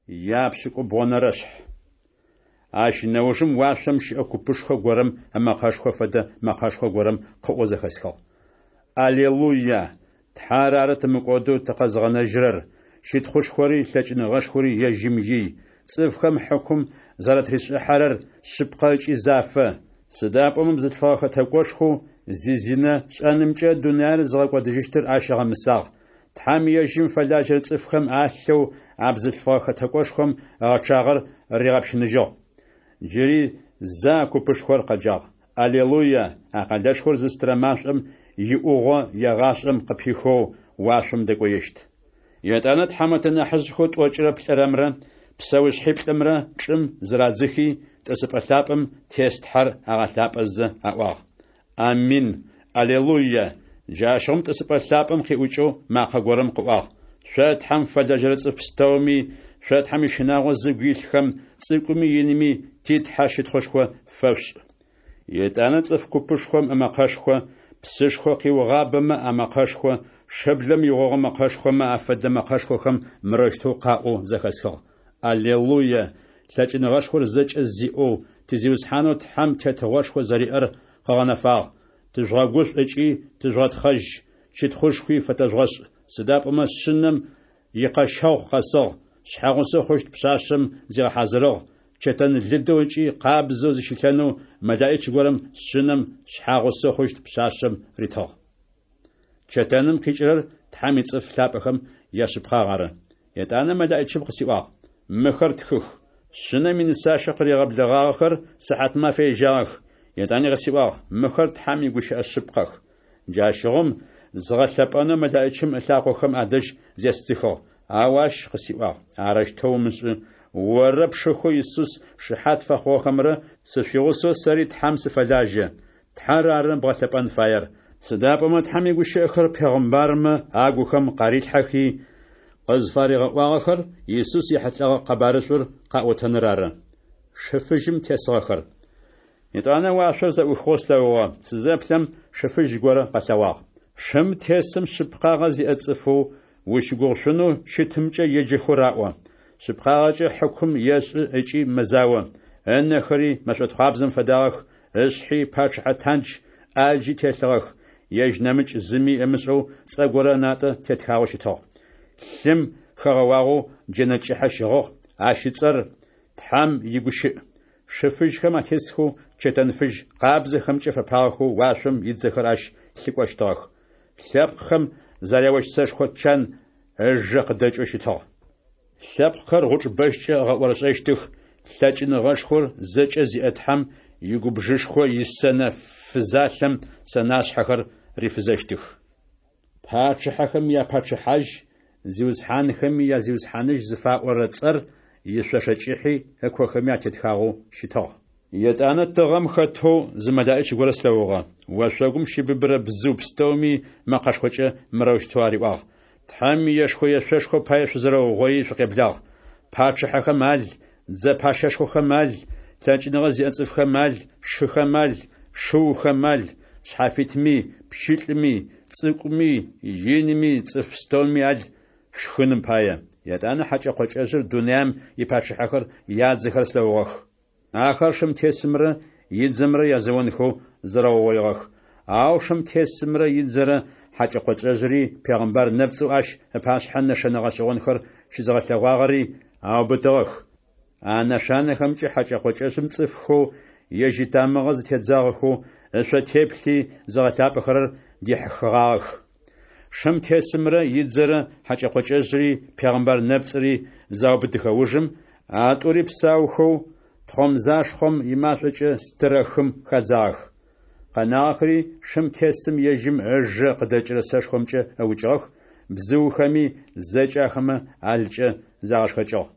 Япшӏыкӏубгъонэрэшъхь. Ащ нэужым уашъом щыӏэ купышхо горэм ымэкъэшхо фэдэ мэкъэшхо горэм къыӏоу зэхэсхыгъ: Алелуя! Тхьэр ары тымыкӏодэу тыкъэзыгъэнэжьырэр, щытхъушхори лъэкӏыныгъэшхори ежьым ий, цӏыфхэм хьыкум зэратришӏыхьэрэр шъыпкъэ ыкӏи зафэ, сыда пӏомэ бзылъфыгъэ хэтэкӏошхоу зизинэ шӏэнымкӏэ дунаир зыгъэкӏодыжьыщтыр ащ ыгъэмысагъ. Тхьэм ежьым фэлажьэрэ цӏыфхэм алъэу а бзылъфыгъэ хэтэкӏошхом ыгъэчъагъэр ригъэпщыныжьыгъ. Джыри зэ а купышхор къэджагъ: Алелуя! А къэлэшхор зыстырэ машӏом иӏугъо егъашӏэм къыпихэу уашъом дэкӏоещт. Етӏанэ тхьамэтэ нахьыжъхэу тӏокӏырэ плӏырэмрэ псэушъхьиплӏымрэ чӏым зырадзыхи, тӏысыпӏэ лъапӏэм тес Тхьэр агъэлъапӏэзэ аӏуагъ: Амин, Алелуя! Джащыгъум тӏысыпӏэ лъапӏэм къиӏукӏэу макъэ горэм къыӏуагъ: Шъо Тхьэм фэлэжьэрэ цӏыф пстэуми, шъо Тхьэм ищынагъо зыгу илъхэм, цӏыкӏуми инми ти Тхьэ щытхъушхо фэшъушӏ. Етӏанэ цӏыф купышхом ымэкъэшхо, псышхо къиугъабэмэ амэкъэшхо, шыблэм игъогъо мэкъэшхомэ афэдэ мэкъэшхохэм мырэущтэу къаӏоу зэхэсхыгъ: Алелуя! Лъэкӏыныгъэшхор зэкӏэ зиӏэу ти Зиусхьанэу Тхьэм тетыгъошхо зэриӏэр къыгъэнэфагъ. Тыжъугъэгушӏу ыкӏи тыжъугъэтхъэжь, щытхъушхуи фэтэжъугъэшӏ, сыда пӏомэ Шъынэм икъэщэгъу къэсыгъ, шъхьэгъусэу хъущт пшъашъэм зигъэхьазырыгъ, чэтэн лыдэу ыкӏи къабзэу зыщилъэнэу мэлэӏич горэм Шъынэм шъхьэгъусэу хъущт пшъашъэм ритыгъ. Чэтэным къикӏырэр Тхьэм ицӏыф лъапӏэхэм яшъыпкъагъ ары. Етӏанэ мэлэӏичым къысиӏуагъ: Мыхэр тхых. Шъынэм инысащэ къыригъэблэгъагъэхэр сыхьатмафэ ежьагъэх. Етӏани къысиӏуагъ: Мыхэр Тхьэм игущыӏэ шъыпкъэх. Джащыгъум згъэлъэпӏэнэу мэлэӏичым ылъакъохэм адэжь зесдзыхыгъ. Ау ащ къысиӏуагъ: Арэущтэу умышӏы! Оррэ пшыхэу Исус шыхьат фэхъугъэхэмрэ сышъуигъусэу сэри Тхьэм сыфэлажьэ. Тхьэр ары бгъэлъэпӏэн фаер, сыда пӏомэ Тхьэм игущыӏэхэр пегъымбармэ агухэм къарилъхьэхи, къызфаригъэӏуагъэхэр Исус ехьылӏэгъэ къэбарышӏур къаӏотэныр ары. Шы фыжьым тесыгъэхэр. Етӏанэ уашъор зэӏухыгъэу слъэгъугъэ, сызэплъэм, шы фыжь горэ къэлъэгъуагъ. Шым тесым шъыпкъагъэ зиӏэ цӏыфэу ущыгугъышъунэу щытымкӏэ еджэхэу раӏо. Шъыпкъагъэкӏэ хьыкум ешӏы ыкӏи мэзао. Ынэхэри мэшӏотхъуабзэм фэдагъэх, ышъхьи пачъыхьэ тандж ӏаджи телъыгъэх, ежь нэмыкӏ зыми ымышӏэу цӏэ горэ ынатӏэ тетхагъэу щытыгъ. Лъым хэгъэуагъэу джэнэ кӏыхьэ щыгъыгъ, ащ ыцӏэр Тхьэм игущыӏ. Шы фыжьхэм атесхэу чэтэн фыжь къабзэхэмкӏэ фэпагъэхэу уашъом идзэхэр ащ лъыкӏощтыгъэх. Лъэпкъхэм зэряощт сэшхо чан ыжэ къыдэкӏэу щытыгъ. Лъэпкъхэр гъучӏ бэщкӏэ ыгъэӏорышӏэщтых, лъэкӏыныгъэшхор зэкӏэ зиӏэ Тхьэм игубжышхо исэнэ фызалъэм сэнашъхьэхэр рифызэщтых. Пачъыхьэхэм я Пачъыхьажь, зиусхьанхэми я Зиусхьаныжь зыфаӏорэ цӏэр ишъошэ кӏыхьи ыкохэми атетхагъэу щытыгъ. Етӏанэ тыгъэм хэтэу зы мэлэӏич горэ слъэгъугъэ. Ошъогум щыбыбырэ бзыу пстэуми мэкъэшхокӏэ мырэущтэу ариӏуагъ: Тхьэм иешхэ-ешъошхо пае шъузэрэугъоий шъукъеблагъ. Пачъыхьэхэм ал, дзэ пащэшхохэм ал, лъэкӏыныгъэ зиӏэ цӏыфхэм ал, шыхэм ал, шыухэм ал, шъхьафитми, пщылӏми, цӏыкӏуми, инми, цӏыф пстэуми ал шъушхыным пае. Етӏанэ хьэкӏэ-къокӏэжъыр дунаим ипачъыхьэхэр ядзэхэр слъэгъугъэх. Ахэр шым тесымрэ идзэмрэ язэонхэу зэрэугъоигъэх. Ау шым тесымрэ идзэрэ хьэкӏэ-къокӏэжъри пегъымбар нэпцӏэу ащ ыпашъхьэ нэшэнэ гъэшӏэгъонхэр щызыгъэлъэгъуагъэри аубытыгъэх. А нэшанэхэмкӏэ хьэкӏэ-къокӏэжъым цӏыфхэу ежь итамыгъэ зытедзагъэхэу ышъо теплъи зыгъэлъапӏэхэрэр дихьыхыгъагъэх. Шым тесымрэ идзэрэ хьэкӏэ-къокӏэжъри пегъымбар нэпцӏри заубытыхэ ужым, а тӏури псаухэу тхъомзашхъом имашӏокӏэ стырэ хым хадзагъэх. Къэнагъэхэри шым тесым ежьым ыжэ къыдэкӏырэ сэшхомкӏэ ыукӏыгъэх, бзыухэми зэкӏэ ахэмэ алкӏэ загъэшхэкӏыгъ.